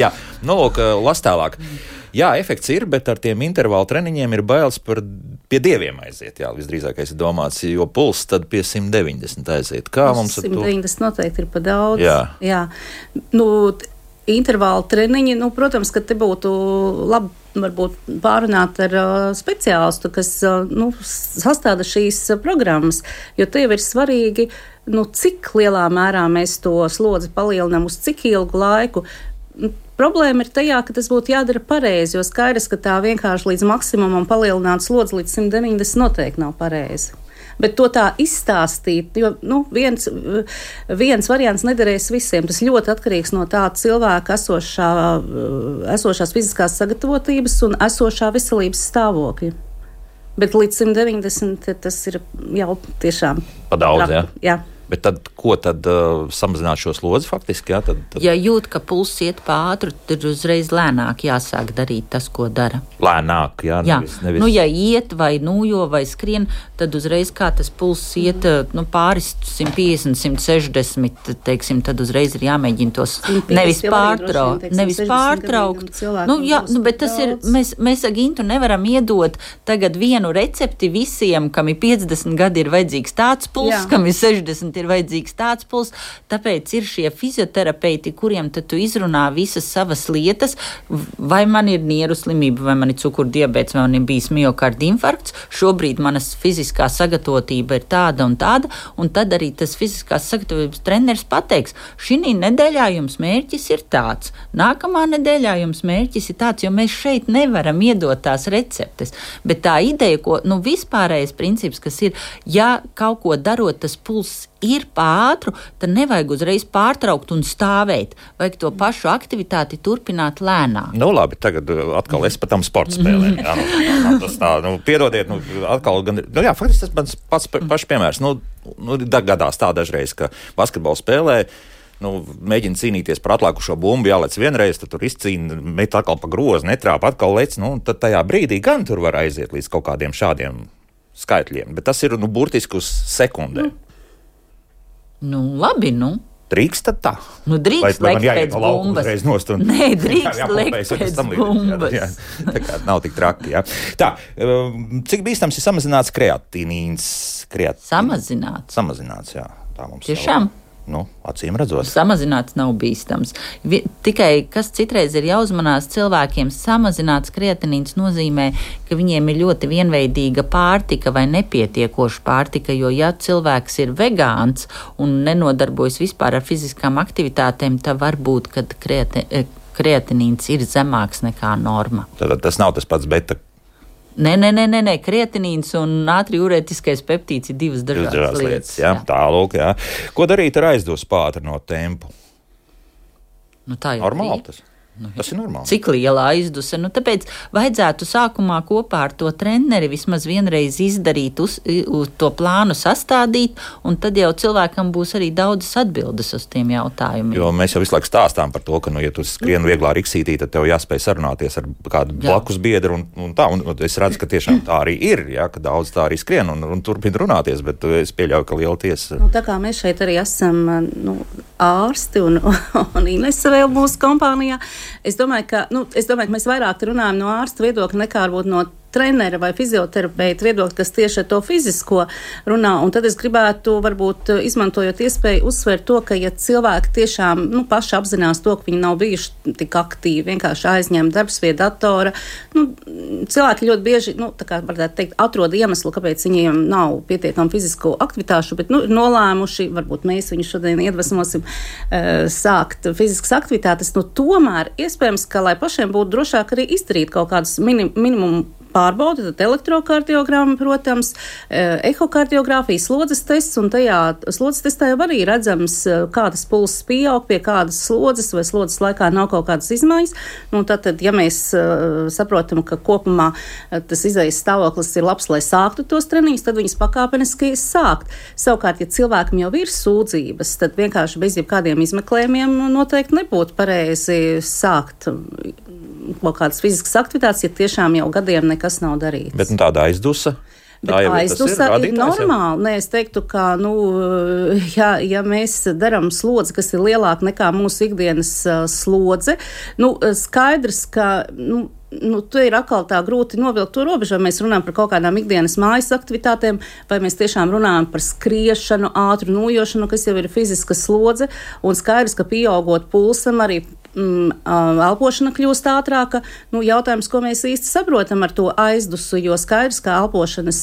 Jā, lūk, las tālāk. Jā, efekts ir, bet ar tiem intervālu treniņiem ir bailes pie dieviem aiziet. Jā, visdrīzākais ir domāts, jo pulss tad pie 190 aiziet. Kā mums 190 noteikti ir pa daudz. Jā. Intervālu treniņi, protams, ka te būtu labi varbūt pārunāt ar speciālistu, kas sastāda šīs programmas, jo te jau ir svarīgi, cik lielā mērā mēs to slodzi palielinām, uz cik ilgu laiku. Problēma ir tajā, ka tas būtu jādara pareizi, jo skaidrs, ka tā vienkārši līdz maksimumam palielināt slodzi līdz 190 noteikti nav pareizi. Bet to tā izstāstīt, jo viens variants nederēs visiem. Tas ļoti atkarīgs no tā cilvēka esošās fiziskās sagatavotības un esošā veselības stāvokļa. Bet līdz 190 tas ir jau tiešām pa daudz, jā. Bet tad, ko tad samazināt šo slodzi faktiski? Jā, tad... Ja jūt, ka pulss iet pa ātru, tad uzreiz lēnāk jāsāk darīt tas, ko dara. Lēnāk, jā. Nevis... ja iet vai nojo vai skrien, tad uzreiz kā tas pulss iet pāris 150, 160, teiksim, tad uzreiz ir jāmēģina tos nevis pārtraukt. Bet tas ir, mēs ar Gintu nevaram iedot tagad vienu recepti visiem, kam ir 50 gadi ir vajadzīgs tāds pulss, kam ir 60 ir vajadzīgs tāds pulss, tāpēc ir šie fizioterapeiti, kuriem tad tu izrunā visas savas lietas, vai man ir nieru slimība, vai man ir cukurdiabēts, vai man ir bijis miokarda infarkts, šobrīd manas fiziskā sagatavotība ir tāda, un tad arī tas fiziskās sagatavotības treneris pateiks, šī nedēļā jums mērķis ir tāds, nākamā nedēļā jums mērķis ir tāds, jo mēs šeit nevaram iedot tās receptes, bet tā ideja, ko, vispārējais princips, kas ir, ja kaut ko darot, tas pulss ir pār, tad nevajag uzreiz pārtraukt un stāvēt. Vajag to pašu aktivitāti turpināt lēnāk. Labi, tagad atkal es par tam sporta spēlēm. Tas tā, piedodiet, atkal gan, faktiski tas mans pašs piemērs. Gadās tā dažreiz, ka basketbolu spēlē, mēģina cīnīties par atlākušo bumbu, jālec vienreiz, tad tur izcīna, met atkal pa grozu, netrāpa, atkal lec, tad tajā brīdī gan tur var aiziet līdz kaut kādiem šādiem skaitļiem, bet tas ir, burtiski uz sekundēm. Labi, Drīkst tad tā? Nu, drīkst lekt pēc bumbas. Nē, drīkst lekt pēc bumbas. Jā, tā kā nav tik traki, jā. Tā, cik bīstams ir samazināts kreatīnīns? Samazināts, jā. Tā mums tiešām? Acīm redzot. Samazināts nav bīstams. Tikai, kas citreiz ir jāuzmanās cilvēkiem, samazināts kreatinīns nozīmē, ka viņiem ir ļoti vienveidīga pārtika vai nepietiekoša pārtika, jo ja cilvēks ir vegāns un nenodarbojas vispār ar fiziskām aktivitātēm, tad varbūt, kad kreatinīns ir zemāks nekā norma. Tad tas nav tas pats beta. Nē, kreatinīns un ātriurētiskais peptīds ir divas dažādas lietas. Jā. Tālūk, jā. Ko darīt ar aizdosu pātrinot tempu? Tā jau normāli tas. Tas ir normāli. Cik liela aizduse? Tāpēc vajadzētu sākumā kopā ar to treneri vismaz vienreiz izdarīt, uz to plānu sastādīt, un tad jau cilvēkam būs arī daudzas atbildes uz tiem jautājumiem. Jo mēs jau visu laiku stāstām par to, ka, ja tu skrien vieglā riksītī, tad tev jāspēj sarunāties ar kādu blakus biedru un tā. Un es redzu, ka tiešām tā arī ir, ka daudz tā arī skrien un turpina runāties, bet es pieļauju, ka liela tiesa. Tā kā mēs šeit arī esam ārsti un Inese vēl mūsu kompānijā, es domāju, ka mēs vairāk runājam no ārsta viedokļa nekā varbūt no trenera vai fizioterapeita viedokļa, kas tieši ar to fizisko runā. Un tad es gribētu, varbūt izmantojot iespēju, uzsvērt to, ka ja cilvēki tiešām paši apzinās to, ka viņi nav bijuši tik aktīvi, vienkārši aizņem darbs pie datora, cilvēki ļoti bieži, tā kā varētu teikt, atrod iemeslu, kāpēc viņiem nav pietiekami fizisko aktivitāšu, bet ir nolēmuši, varbūt mēs viņu šodien iedvesmosim sākt fiziskas aktivitātes, tomēr iespējams, ka lai pašiem būtu drošāk arī izdarīt kaut kādus minimumu pārbaudi, tad elektrokardiogramma, protams, ehokardiogrāfija, slodzes tests, un tajā slodzes testā jau arī redzams, kādas pulsas pieaug, pie kādas slodzes, vai slodzes laikā nav kaut kādas izmaiņas. Tad, ja mēs saprotam, ka kopumā tas izējas stāvoklis ir labs, lai sāktu tos treniņus, tad viņas pakāpeniski sākt. Savukārt, ja cilvēkam jau ir sūdzības, tad vienkārši bez jebkādiem izmeklējumiem noteikti nebūtu pareizi sākt kaut kādas fiziskas aktivitātes, ja tiešām jau gadiem nekas nav darīts. Bet tāda aizdusa? Bet aizdusa ir normāli. Nē, es teiktu, ka, ja mēs darām slodzi, kas ir lielāka nekā mūsu ikdienas slodze, skaidrs, ka, tu ir atkal tā grūti novilkt to robežu, vai mēs runājam par kaut kādām ikdienas mājas aktivitātēm, vai mēs tiešām runājam par skriešanu, ātru nojošanu, kas jau ir fiziska slodze, un skaidrs, ka pieaugot pulsam arī elpošana kļūst ātrāka. Jautājums, ko mēs īsti saprotam ar to aizdusu, jo skaidrs, ka elpošanas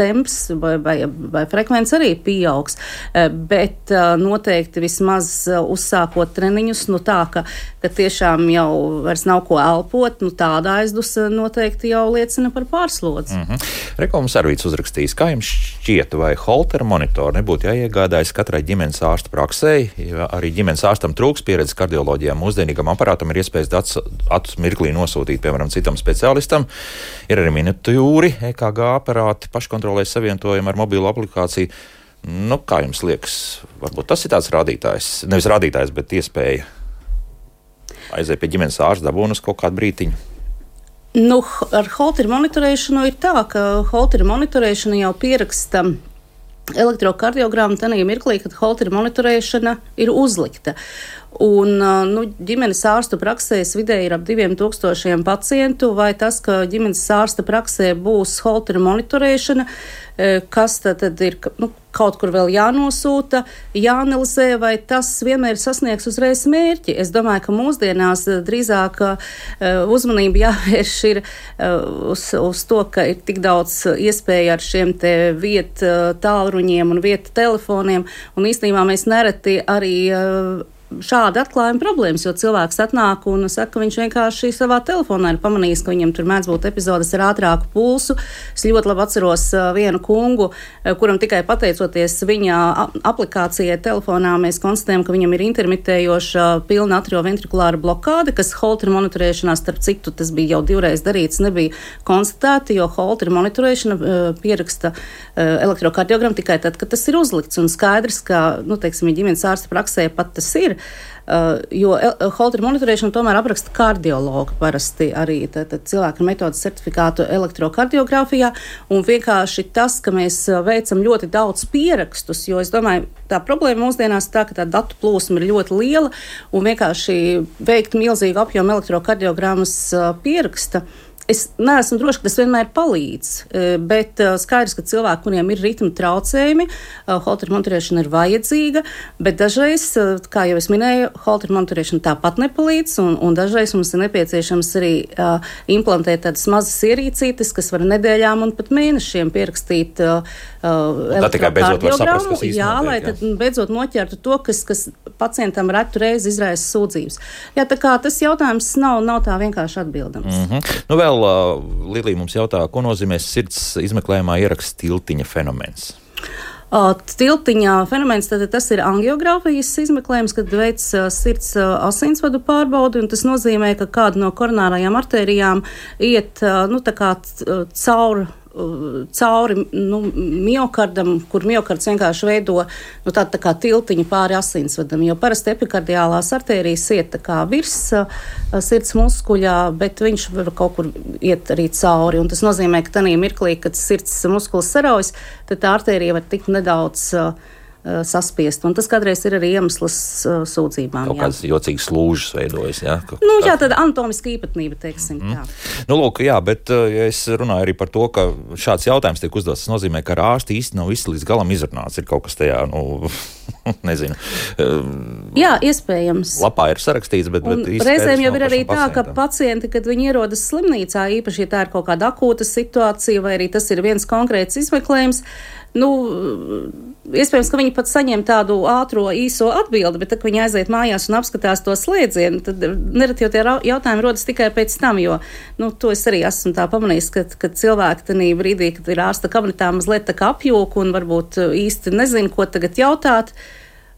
temps vai frekvence arī pieaugs, bet noteikti vismaz uzsākot treniņus, tā, ka tiešām jau vairs nav ko elpot, tāda aizdusa noteikti jau liecina par pārslodzi. Reklāmas Arvīts uzrakstījis, kā jums šķiet, vai Holtera monitori nebūtu jāiegādājas katrai ģimenes ārsta praksē, ja arī ģimenes ārstam trūks pieredzes kardioloģijā. Mūsdienīgam aparātam ir iespējas datus mirklī nosūtīt, piemēram, citam speciālistam. Ir arī miniatūri, EKG aparāti, paškontrolēs savietojumi ar mobīlu aplikāciju. Kā jums liekas? Varbūt tas ir tāds rādītājs, nevis rādītājs, bet iespēja aiziet pie ģimenes ārsta dabūnu uz kaut kādu brītiņu. Ar Holtera monitorēšanu ir tā, ka Holtera monitorēšana jau pieraksta elektrokardiogrammu tanī mirklī, kad Holtera monitorēšana ir uzlikta. Un ģimenes ārstu praksēs vidēji ir ap 2000 pacientu, vai tas, ka ģimenes ārsta praksē būs Holtera monitorēšana, kas tad ir kaut kur vēl jānosūta, jāanalizē, vai tas vienmēr sasniegs uzreiz mērķi. Es domāju, ka mūsdienās drīzāk uzmanība jāvērš ir uz to, ka ir tik daudz iespēja ar šiem te vietu tālruņiem un vietu telefoniem, un īstenībā mēs nereti arī šādi atklājumi problēmas, jo cilvēks atnāk un saka, ka viņš vienkārši savā telefonā ir pamanījis, ka viņam tur mēdz būt epizodes ar ātrāku pulsu. Es ļoti labi atceros vienu kungu, kuram tikai pateicoties viņa aplikācijai telefonā mēs konstatējam, ka viņam ir intermitējoša pilna atrioventrikulāra blokāde, kas Holtera monitorēšanā, starp citu, tas bija jau 2 reizes darīts, nebija konstatēta, jo Holtera monitorēšana pieraksta elektrokardiogramu tikai tad, kad tas ir uzlikts. Un skaidrs, ka, teiksim, ģimenes ārsta praksē pat tas ir, jo Holtera monitorēšanu tomēr apraksta kardiologi parasti arī cilvēku metodas certifikātu elektrokardiogrāfijā. Un vienkārši tas, ka mēs veicam ļoti daudz pierakstus, jo es domāju, tā problēma mūsdienās tā, ka tā datu plūsma ir ļoti liela un vienkārši veikt milzīgu apjomu elektrokardiogramas pieraksta. Es neesmu droši, ka tas vienmēr palīdz, bet skaidrs, ka cilvēki, kuriem ir ritma traucējumi, Holtera monitorēšana ir vajadzīga, bet dažreiz, kā jau es minēju, Holtera monitorēšana tāpat nepalīdz, un dažreiz mums ir nepieciešams arī implantēt tādas mazas ierīcītes, kas var nedēļām un pat mēnešiem pierakstīt elektrokardiogramu, lai tad beidzot noķertu to, kas pacientam retu reizi izraisa sūdzības. Jā, tā kā tas jautājums nav tā vienkārši atbildams. Nu vēl Lilija mums jautā, ko nozīmē sirds izmeklējumā ieraksts tiltiņa fenomens? Tiltiņa fenomens, tad tas ir angiogrāfijas izmeklējums, kad veic sirds asinsvadu pārbaudi, un tas nozīmē, ka kāda no koronārajām artērijām iet, tā kā cauri miokardam, kur miokards vienkārši veido tā kā tiltiņu pāri asinsvadam, jo parasti epikardiālās artērijas iet tā kā virs sirds muskuļā, bet viņš var kaut kur iet arī cauri, un tas nozīmē, ka tanī mirklī, kad sirds muskulis saraujas, tad tā artērija var tikt nedaudz saspiest, un tas kādreiz ir arī iemesls sūdzībām. Kaut kāds jocīgs lūžas veidojas, jā? Jā, tāda anatomiska īpatnība, teiksim, tā. Lūk, jā, bet ja es runāju arī par to, ka šāds jautājums tiek uzdots, tas nozīmē, ka ar ārsti īsti nav viss līdz galam izrunāts, ir kaut kas tajā, nezinu. Jā, iespējams. Lapā ir sarakstīts, bet īsti reizēm jau ir arī tā, ka pacienti, kad viņi ierodas slimnīcā, īpaši, ja tā ir kaut kāda akūta situācija, vai arī tas ir viens konkrēts izmeklējums, iespējams, ka viņi pat saņem tādu ātro, īso atbildi, bet tad, kad viņi aiziet mājās un apskatās to slēdzienu, tad nereti jau tie jautājumi rodas tikai pēc tam, jo, to es arī esmu tā pamanījis, ka cilvēki tanī brīdī, kad ir ārsta kabinetā mazliet tā kā apjūk un varbūt īsti nezinu, ko tagad jautāt.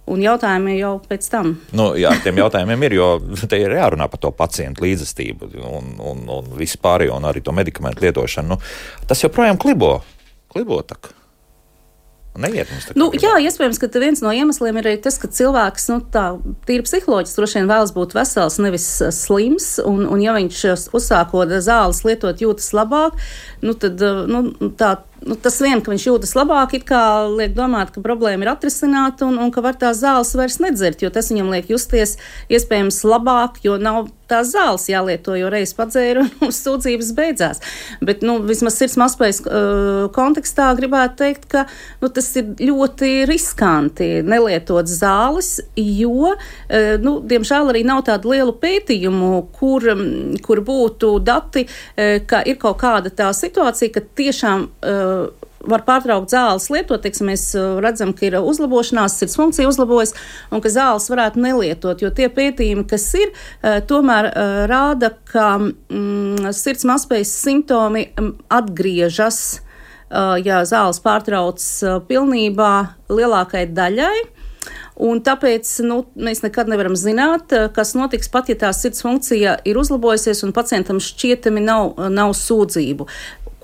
Un jautājumi jau pēc tam. Jā, tiem jautājumiem ir, jo te ir jārunā par to pacientu līdzestību un vispārējo, un arī to medikamentu lietošanu. Tas joprojām klibo tak. Neiet mums tā kā. Jā, iespējams, ka viens no iemesliem ir arī tas, ka cilvēks, tā tīri psiholoģiski droši vien vēlas būt vesels, nevis slims, un ja viņš uzsākot zāles lietot jūtas labāk, tad, tas vien, ka viņš jūtas labāk, it kā liek domāt, ka problēma ir atrisināta un ka var tās zāles vairs nedzert, jo tas viņam liek justies iespējams labāk, jo nav tās zāles jālieto, jo reiz padzēra un sūdzības beidzās. Bet, vismaz sirds mazspējas kontekstā gribētu teikt, ka tas ir ļoti riskanti nelietot zāles, jo, diemžēl arī nav tādu lielu pētījumu, kur būtu dati, ka ir kaut kāda tā situācija, ka tiešām var pārtraukt zāles lietot, teiksim, mēs redzam, ka ir uzlabošanās, sirds funkcija uzlabojas un ka zāles varētu nelietot, jo tie pētījumi, kas ir, tomēr rāda, ka sirds mazspējas simptomi atgriežas, ja zāles pārtrauc pilnībā lielākai daļai. Un tāpēc mēs nekad nevaram zināt, kas notiks pat, ja tā sirds funkcija ir uzlabojusies un pacientam šķietami nav sūdzību.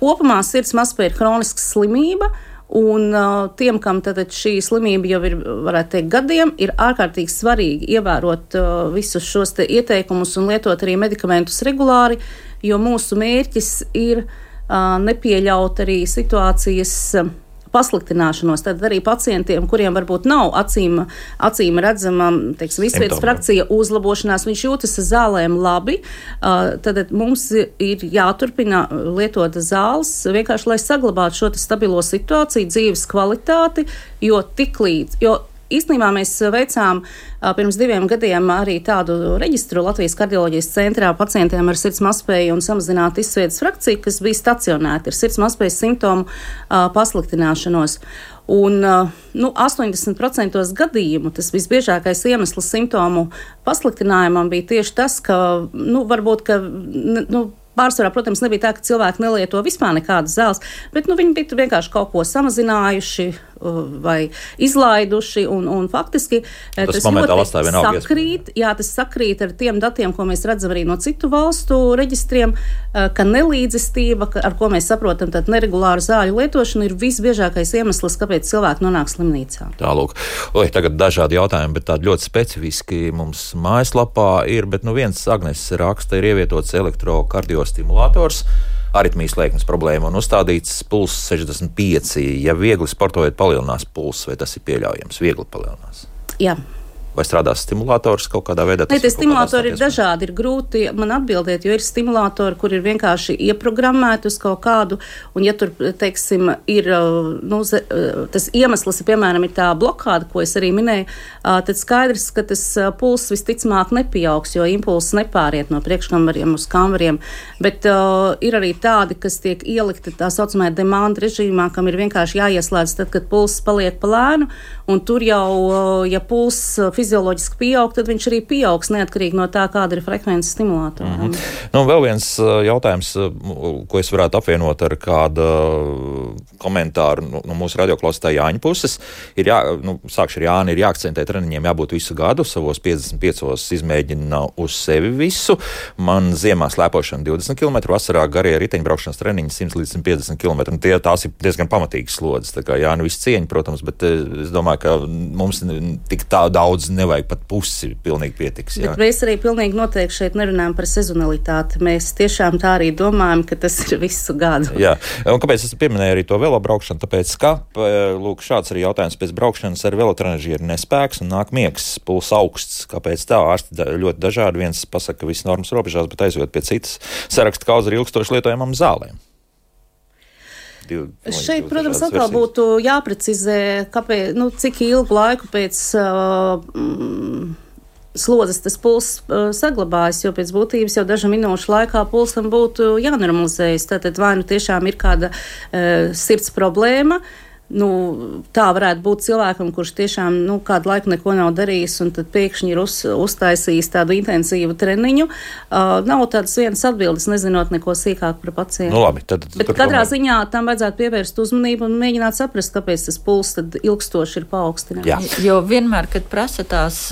Kopumā sirds mazspēja ir hroniska slimība, un tiem, kam tad šī slimība jau ir, varētu teikt, gadiem, ir ārkārtīgi svarīgi ievērot visus šos te ieteikumus un lietot arī medikamentus regulāri, jo mūsu mērķis ir nepieļaut arī situācijas pasliktināšanos, tad arī pacientiem, kuriem varbūt nav acīm redzama, teiksim, izsvietas frakcija uzlabošanās, viņš jūtas ar zālēm labi, tad mums ir jāturpina lietot zāles, vienkārši, lai saglabātu šo stabilo situāciju, dzīves kvalitāti, jo īstenībā mēs veicām pirms 2 gadiem arī tādu reģistru Latvijas kardioloģijas centrā pacientiem ar sirds mazspēju un samazinātu izsvietas frakciju, kas bija stacionēti ar sirds mazspējas simptomu pasliktināšanos. Un 80% gadījumu tas visbiežākais iemesls simptomu pasliktinājumam bija tieši tas, ka varbūt, ka pārsvarā, protams, nebija tā, ka cilvēki nelieto vispār nekādas zāles, bet viņi bija vienkārši kaut ko samazinājuši, vai izlaiduši, un faktiski tas sakrīt ar tiem datiem, ko mēs redzam arī no citu valstu reģistriem, ka nelīdzestība, ar ko mēs saprotam, tad neregulāra zāļu lietošana ir visbiežākais iemesls, kāpēc cilvēki nonāk slimnīcā. Tālūk, tagad dažādi jautājumi, bet tādi ļoti specifiski mums mājaslapā ir, bet viens Agnes raksta, ir ievietots elektrokardiostimulators, aritmijas lēkmes problēma un uzstādīts pulss 65. Ja viegli sportojot, palielinās pulss, vai tas ir pieļaujams? Viegli palielinās? Jā. Vai strādās stimulators kaut kādā veidā? Tie stimulatori ir dažādi, ir grūti man atbildēt, jo ir stimulatori, kur ir vienkārši ieprogrammēti uz kaut kādu, un ja tur, teiksim, ir, tas iemesls, piemēram, ir tā blokāda, ko es arī minēju, tad skaidrs, ka tas pulss visticamāk nepieaugs, jo impulss nepāriet no priekškambariem uz kambariem, bet ir arī tādi, kas tiek ielikti tā saucamajā demand režīmā, kam ir vienkārši jāieslēdz tad, kad pulss paliek pa lēnu, un tur jau, ja pulss fizioloģiski pieaug, tad viņš arī pieaugs neatkarīgi no tā, kāda ir frekvence stimulātoram. Vēl viens jautājums, ko es varētu apvienot ar kādu komentāru no mūsu radioklausītāja Jāņa puses, ir sākšu ar Jāni, ir jāakcentē treniņiem jābūt visu gadu, savos 55 izmēģina uz sevi visu. Man ziemā slēpošana 20 km, vasarā garie riteņbraukšanas treniņi 100 līdz 150 km. Tās ir diezgan pamatīgas slodzes. Tā kā Jāni visu cieņu, protams, bet es domāju, ka mums tik tā daudz nevajag, pat pusi pilnīgi pietiks. Jā. Bet mēs arī pilnīgi noteikti šeit nerunājam par sezonalitāti. Mēs tiešām tā arī domājam, ka tas ir visu gadu. Jā, un kāpēc es pieminēju arī to velobraukšanu? Tāpēc, ka, lūk, šāds arī jautājums pēc braukšanas ar velotrenažieri nespēks un nāk miegs, puls augsts. Kāpēc tā? Ārsti ļoti dažādi. Viens pasaka, ka viss normas robežās, bet aizjot pie citas saraksta kauza ar ilgstoši lietojamām zālēm. Šeit, protams, atkal būtu jāprecizē, kāpēc, cik ilgu laiku pēc slodzes tas pulss saglabājas, jo pēc būtības jau dažu minūšu laikā pulsam būtu jānormalizējas. Tātad vai tiešām ir kāda sirds problēma, tā varētu būt cilvēkam, kurš tiešām kādu laiku neko nav darījis un tad pēkšņi ir uztaisījis tādu intensīvu treniņu. Nav tādas vienas atbildes, nezinot neko sīkāk par pacientu. Labi, bet katrā ziņā tam vajadzētu pievērst uzmanību un mēģināt saprast, kāpēc tas pulss tad ilgstoši ir paaugstināts. Jo vienmēr, kad prasa tās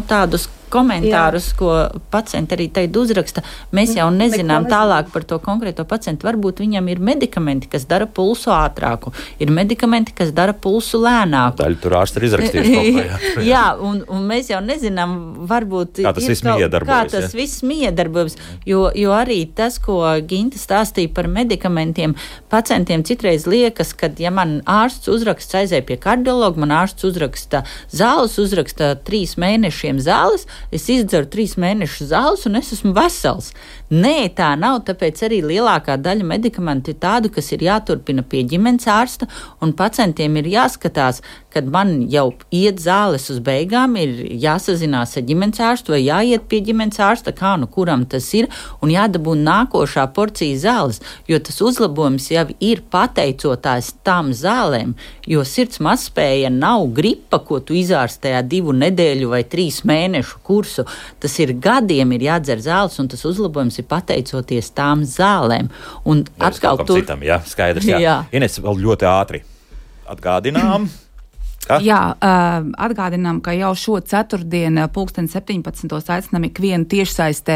tādus komentārus, ko pacienti arī teikt uzraksta, mēs jau nezinām tālāk par to konkrēto pacientu. Varbūt viņam ir medikamenti, kas dara pulsu ātrāku, ir medikamenti, kas dara pulsu lēnāku. Daļu tur ārsti ir izrakstījuši. Jā, un mēs jau nezinām, varbūt kā tas viss miedarbojas, jo arī tas, ko Ginta stāstīja par medikamentiem, pacientiem citreiz liekas, kad, ja man ārsts uzraksts aizēja pie kardiologa, man ārsts uzraksta zāles, uzraksta 3 mēnešiem zāles, es izdzeru 3 mēnešu zāles un es esmu vesels. Nē, tā nav, tāpēc arī lielākā daļa medikamentu ir tādu, kas ir jāturpina pie ģimenes ārsta, un pacientiem ir jāskatās, kad man jau iet zāles uz beigām, ir jāsazinās ar ģimenes ārstu vai jāiet pie ģimenes ārsta, kuram tas ir, un jādabū nākošā porcija zāles, jo tas uzlabojums jau ir pateicotājs tām zālēm, jo sirds mazspēja nav gripa, ko tu izārstējā 2 nedēļu vai 3 mēnešu kursu. Tas ir gadiem ir jādzer zāles, un tas uzlabojums ir pateicoties tām zālēm. Un atkal tur... citam, jā, skaidrs, jā. Ines, vēl ļoti ātri atgādinām. Jā, atgādinām, ka jau šo ceturtdienu 17. aicinām ikvienu tiešsaistē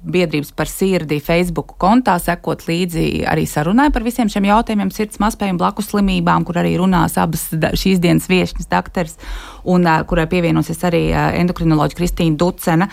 biedrības par sirdi Facebook kontā sekot līdzi arī sarunai par visiem šiem jautājumiem sirds mazspēju un blakus slimībām, kur arī runās abas šīs dienas viešņas dakteris un kurai pievienosies arī endokrinoloģa Kristīna Ducena.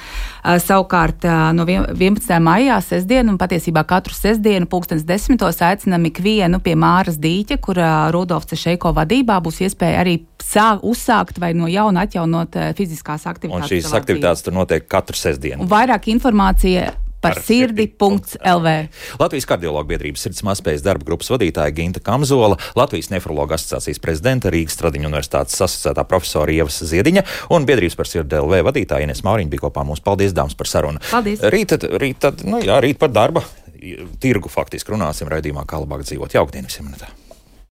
Savukārt no 11. maijā sestdienu un patiesībā katru sestdienu 10. aicinām ikvienu pie Māras Dīķa, kur Rudolfs Cešeiko vadībā būs iespēja arī uzsākt vai no jauna atjaunot fiziskās aktivitātes. Un šīs aktivitātes tur notiek katru sestdienu. Un vairāk informācija par sirdi.lv. Latvijas kardiologu biedrības sirds mazspējas darba grupas vadītāja Ginta Kamzola, Latvijas nefrologu asociācijas prezidenta, Rīgas Stradiņu universitātes asociētā profesora Ievas Ziediņa un biedrības par sirdi.lv vadītāja Ines Mauriņa bija kopā mums. Paldies, dāmas, par sarunu. Paldies. Rīt par darba tirgu faktiski runāsim raidījumā, kā labāk dzīvot. Jauktdien visiem.